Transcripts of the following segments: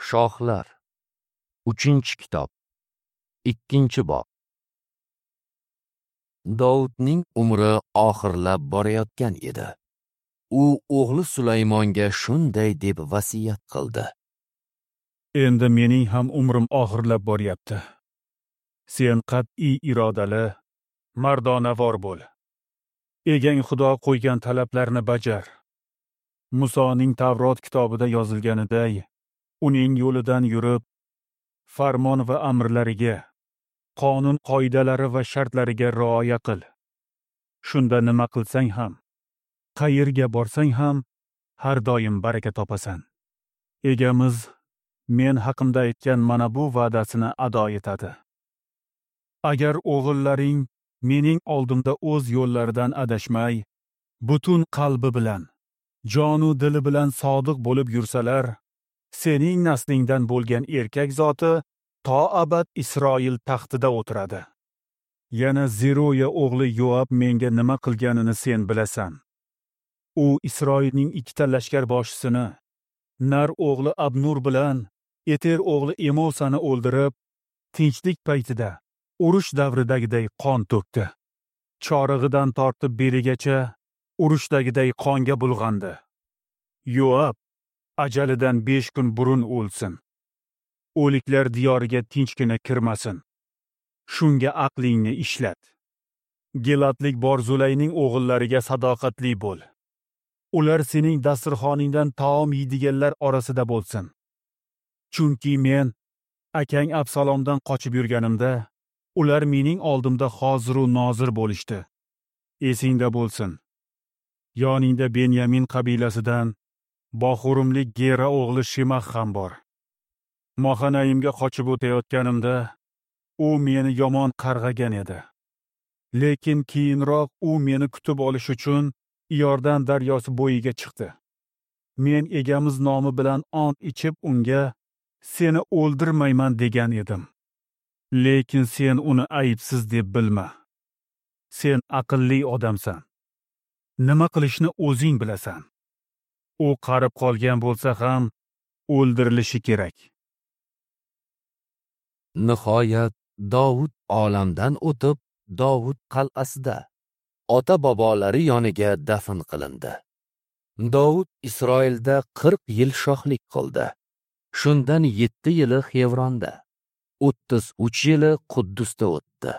Shohlar 3-kitob 2-bob. Dovudning umri oxirlab borayotgan edi. U o'g'li Sulaymonga shunday deb vasiyat qildi: Endi mening ham umrim oxirlab boryapti. Sen qat'iy irodali, mardonavor bo'l. Egang Xudo qo'ygan talablarni bajar. Musoning Tavrot kitobida yozilganiday, uning yo'lidan yurib, farmon va amrlariga, qonun qoidalari va shartlariga rioya qil. Shunda nima qilsang ham, qayerga borsang ham har doim baraka topasan. Egamiz men haqimda aytgan mana bu va'dasini ado etadi. Agar o'g'illaring mening oldimda o'z yo'llaridan adashmay, butun qalbi bilan, jonu dili bilan sodiq bo'lib yursalar, sening naslingdan bo'lgan erkak zoti to abad Isroil taxtida o'tiradi. Yana Zeruya o'g'li Yoab menga nima qilganini sen bilasan. U Isroilning ikkita lashkar boshisini, Nar o'g'li Abnur bilan Eter o'g'li Emosani o'ldirib, tinchlik paytida urush davridagiday qon to'kdi. Chorig'idan tortib beligacha urushdagidek qonga bulg'andi. Yoab ajalidan 5 kun burun o'lsin. O'liklar diyoriga tinchgina kirmasin. Shunga aqlingni ishlat. Gilatlik Borzulayning o'g'illariga sadoqatli bo'l. Ular sening dasturxoningdan taom yeydiganlar orasida bo'lsin. Chunki men akang Absalomdan qochib yurganimda, ular mening oldimda hoziru nozir bo'lishdi. Esingda bo'lsin. Yoningda Benyamin qabilasidan Boxurumlik Gera o'g'li Shimax ham bor. Mohanayimga qochib o'tayotganimda u meni yomon qarg'agan edi. Lekin keyinroq u meni kutib olish uchun Iordan daryosi bo'yiga chiqdi. Men egamiz nomi bilan ont ichib unga seni o'ldirmayman degan edim. Lekin sen uni aybsiz deb bilma. Sen aqlli odamsan. Nima qilishni o'zing bilasan. U qarib qolgan bo'lsa ham o'ldirilishi kerak. Nihoyat Dovud olamdan o'tib, Dovud qal'asida ota-bobolari yoniga dafn qilindi. Dovud Isroilda 40 yil shohlik qildi. Shundan 7 yili Xevronda, 33 yili Quddusda o'tdi.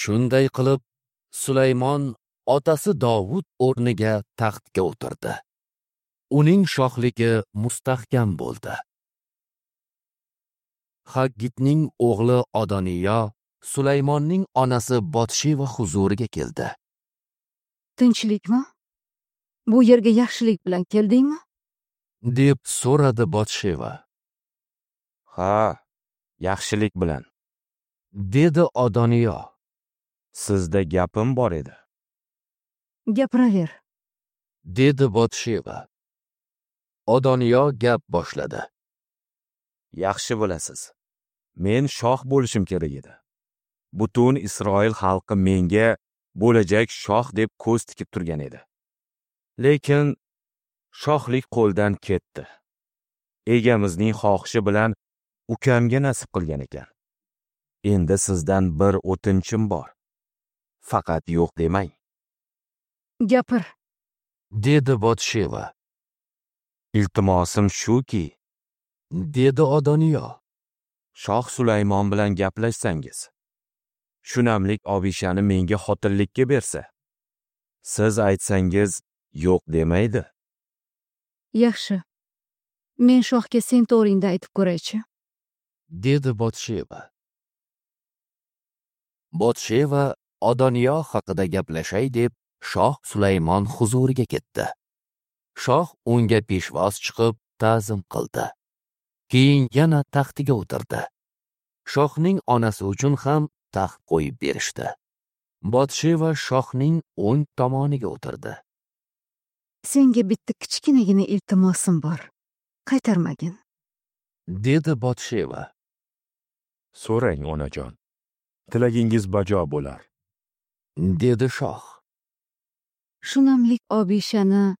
Shunday qilib Sulaymon otasi Dovud o'rniga taxtga o'tirdi. Uning shohligi mustahkam bo'ldi. Haggitning o'g'li Adoniyo Sulaymonning onasi Botsheva huzuriga keldi. Tinchlikmi? Bu yerga yaxshilik bilan keldingmi? Deb so'radi Botsheva. Ha, yaxshilik bilan, dedi Adoniyo. Sizda gapim bor edi. Gapiraver, dedi Botsheva. Adoniyo gap boshladi. Yaxshi bilasiz, men shoh bo'lishim kerak edi. Butun Isroil xalqi menga bo'lajak shoh deb ko'z tikib turgan edi. Lekin shohlik qo'ldan ketdi. Egamizning xohishi bilan ukamga nasib qilgan ekan. Endi sizdan bir o'tinchim bor. Faqat yo'q demang. Gapir, dedi Botsheva. Iltimosim shuki, dedi Adoniyo, Shoh Sulaymon bilan gaplashsangiz, shunamlik Obishani menga xotinlikka bersa, siz aytsangiz yo'q demaydi. Yaxshi. Men shohga sen to'g'ringda aytib ko'raychi, dedi Botsheva. Botsheva Adoniyo haqida gaplashay deb Shoh Sulaymon huzuriga ketdi. Shoh unga peshvoz chiqib ta'zim qildi. Keyin yana taxtiga o'tirdi. Shohning onasi uchun ham taxt qo'yib berishdi. Botsheva shohning o'ng tomoniga o'tirdi. Senga bitta kichkinagina iltimosim bor. Qaytarmagin, dedi Botsheva. So'rang, onajon. Tilagingiz bajo bo'lar, dedi shoh. Shunamlik Obishani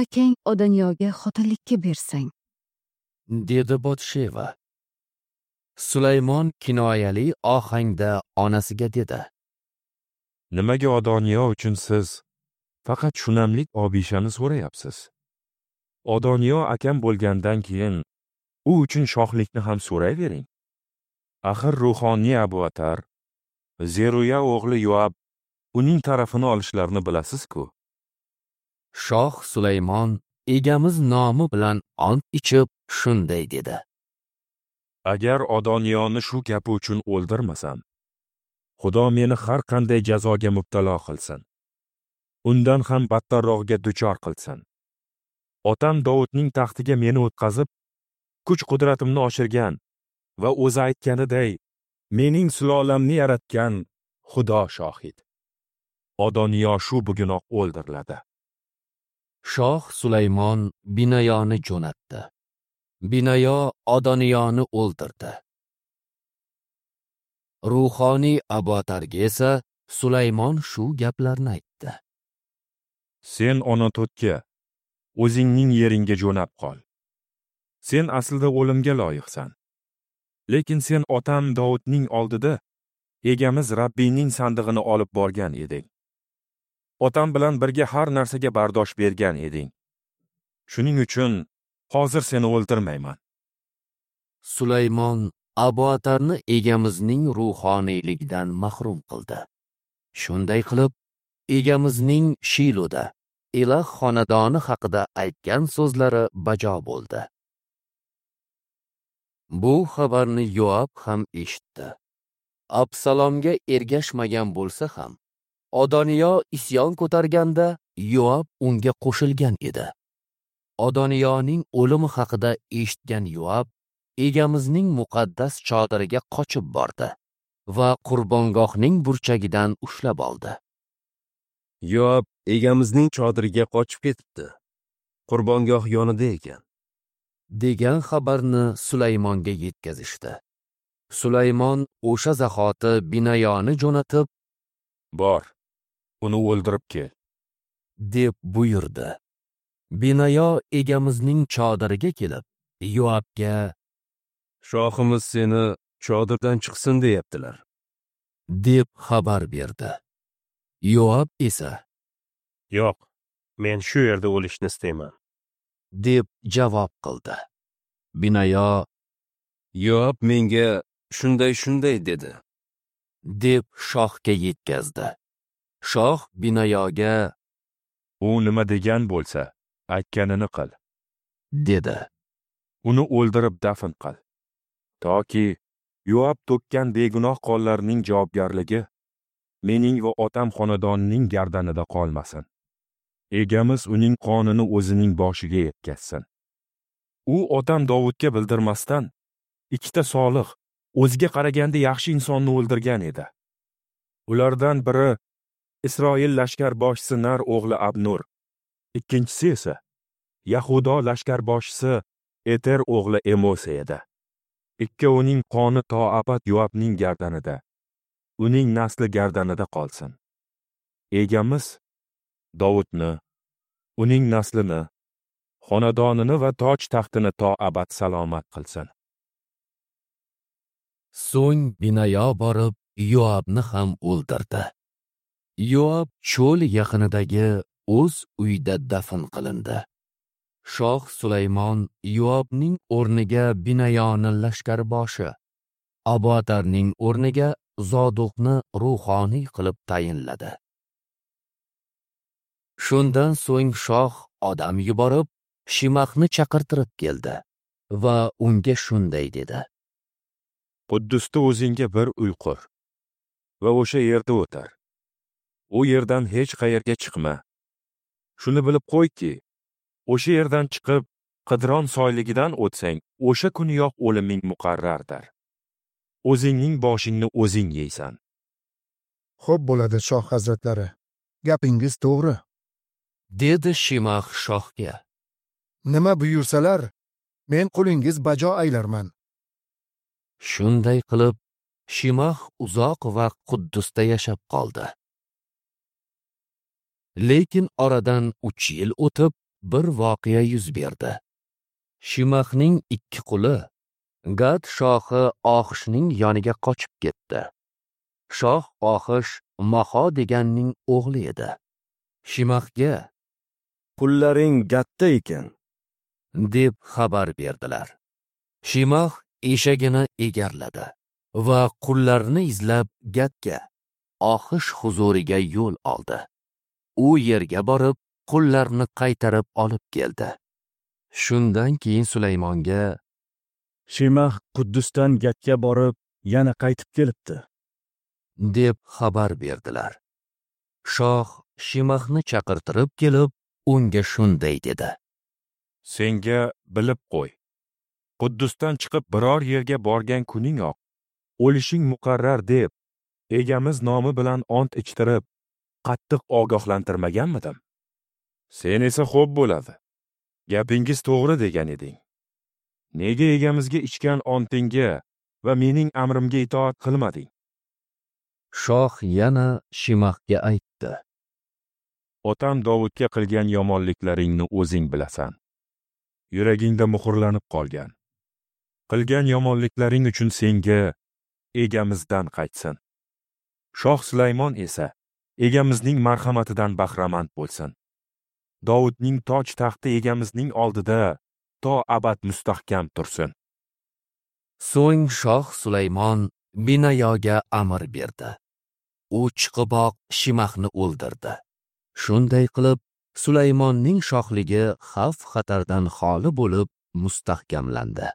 akang Odoniyoga xotinlikka bersang, dedi Botsheva. Sulaymon kinoyali ohangda onasiga dedi: Nimaga Adoniyo uchun siz faqat shunamlik Obishani so'rayapsiz? Adoniyo akam bo'lgandan keyin u uchun shohlikni ham so'rayvering. Axir ruhoniy Abuatar, Zeruya o'g'li Yoab uning tarafini olishlarini bilasiz-ku. Shoh Sulaymon egamiz nomi bilan ont ichib shunday dedi: Agar Adoniyoni shu gapi uchun o'ldirmasam, Xudo meni har qanday jazoga mubtalo qilsin. Undan ham battarrog'iga duchor qilsin. Otam Dovudning taxtiga meni o'tqazib, kuch-qudratimni oshirgan va o'zi aytganiday mening sulolamni yaratgan Xudo shohid. Adoniyo shu bugunoq o'ldiriladi. Shoh Sulaymon Binayoni jo'natdi. Binayo Adoniyoni o'ldirdi. Ruhoniy Abuatarga esa Sulaymon shu gaplarni aytdi: Sen Onatotga, o'zingning yeringga jo'nab qol. Sen aslida o'limga loyiqsan. Lekin sen otam Dovudning oldida egamiz Rabbiyning sandig'ini olib borgan eding. Otam bilan birga har narsaga bardosh bergan eding. Shuning uchun hozir seni o'ldirmayman. Sulaymon Abuatarni egamizning ruhoniyligidan mahrum qildi. Shunday qilib, egamizning Shiloda Elah xonadoni haqida aytgan so'zlari bajo bo'ldi. Bu xabarni Yoab ham eshitdi. Absalomga ergashmagan bo'lsa ham, Adoniyo isyon ko'targanda Yoab unga qo'shilgan edi. Adoniyoning o'limi haqida eshitgan Yoab egamizning muqaddas chodiriga qochib bordi va qurbongohning burchagidan ushlab oldi. Yoab egamizning chodiriga qochib ketibdi. Qurbongoh yonida ekan, degan xabarni Sulaymonga yetkazishdi. Sulaymon o'sha zahoti Binayoni jo'natib, "Bor, uni o'ldirib kel", deb buyurdi. Binayo egamizning chodiriga kelib, Yoabga: "Shohimiz seni chodirdan chiqsin deyaptilar", deb xabar berdi. Yoab esa: "Yo'q, men shu yerda o'lishni istayman", deb javob qildi. Binayo: "Yoab menga shunday dedi", deb shohga yetkazdi. Shoh Binayoga: "U nima degan bo'lsa, aytganini qil", dedi. "Uni o'ldirib dafn qil, toki Yoab to'kkan begunoh qonlarning javobgarligi mening va otam xonadonining gardanida qolmasin. Egamiz uning qonini o'zining boshiga yetkazsin. U otam Dovudga bildirmasdan ikkita solih, o'ziga qaraganda yaxshi insonni o'ldirgan edi. Ulardan biri Isroil lashkarboshisi Nar o'g'li Abnur, ikkinchisi esa Yahudo lashkarboshisi Eter o'g'li Emosa edi. Ikkovining qoni to abad Yoabning gardanida, uning nasli gardanida qolsin. Egamiz Dovudni, uning naslini, xonadonini va toj taxtini to abad salomat qilsin." So'ng Binayo borib Yoabni ham o'ldirdi. Yoab cho'l yaqinidagi o'z uyida dafn qilindi. Shoh Sulaymon Yoabning o'rniga Binayoni lashkarboshi, Abuatarning o'rniga Zoduqni ruhoniy qilib tayinladi. Shundan so'ng shoh odam yuborib, Shimahni chaqirtirib keldi va unga shunday dedi: Quddusda o'zingga bir uy qur va o'sha yerda o'tir. U yerdan hech qayerga chiqma. Shuni bilib qo'yki, o'sha yerdan chiqib Qidron soyligidan o'tsang, o'sha kuniyoq o'liming muqarrardir. O'zingning boshingni o'zing yeysan. Xo'p bo'ladi, shoh hazratlari. Gapingiz to'g'ri, dedi Shimah shohga. Nima buyursalar, men qulingiz bajo aylarman. Shunday qilib, Shimah uzoq vaqt Quddusda yashab qoldi. Lekin oradan 3 yil o'tib, bir voqea yuz berdi. Shimahning 2 quli Gad shohi Oxishning yoniga qochib ketdi. Shoh Oxish Maho deganning o'g'li edi. Shimahga "Qullaring Gadda ekan" deb xabar berdilar. Shimah eshagini egarladi va qullarni izlab Gadga, Oxish huzuriga yo'l oldi. U yerga borib, qullarni qaytarib olib keldi. Shundan keyin Sulaymonga "Shimah Quddusdan Gadga borib, yana qaytib kelibdi" deb xabar berdilar. Shoh Shimahni chaqirtirib kelib, unga shunday dedi: "Senga bilib qo'y. Quddusdan chiqib biror yerga borgan kuningoq o'lishing muqarrar deb egamiz nomi bilan ont ichtirib, qattiq ogohlantirmaganmidim? Sen esa xo'p bo'ladi. Gapingiz to'g'ri degan eding. Nega egamizga ichgan ontingga va mening amrimga itoat qilmading?" Shoh yana Shimahga aytdi: "Otam Dovudga qilgan yomonliklaringni o'zing bilasan. Yuragingda muhrlanib qolgan. Qilgan yomonliklaring uchun senga egamizdan qaytsin. Shoh Sulaymon esa egamizning marhamatidan bahramand bo'lsin. Dovudning toj taxti egamizning oldida to abad mustahkam tursin." So'ng shoh Sulaymon Binayoga amr berdi. U chiqiboq Shimahni o'ldirdi. Shunday qilib Sulaymonning shohligi xavf-xatardan xoli bo'lib mustahkamlandi.